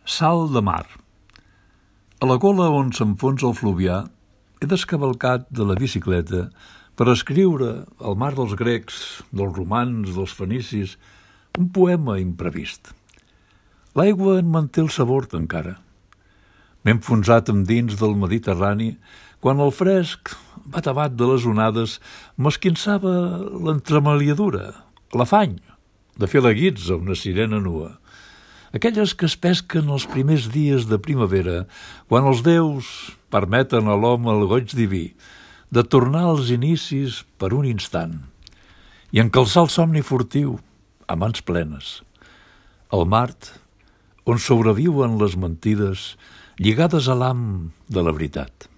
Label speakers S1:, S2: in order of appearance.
S1: Salt de mar. A la gola on s'enfonsa el Fluvià he descavalcat de la bicicleta per escriure al mar dels grecs, dels romans, dels fenicis, un poema imprevist. L'aigua en manté el sabor encara. M'he enfonsat dins del Mediterrani quan el fresc, batabat de les onades, m'esquinçava l'entremaliadura, l'afany de fer la guitza a una sirena nua. Aquelles que es pesquen els primers dies de primavera, quan els déus permeten a l'home el goig diví de tornar als inicis per un instant i encalçar el somni furtiu a mans plenes. El mart, on sobreviuen les mentides lligades a l'ham de la veritat.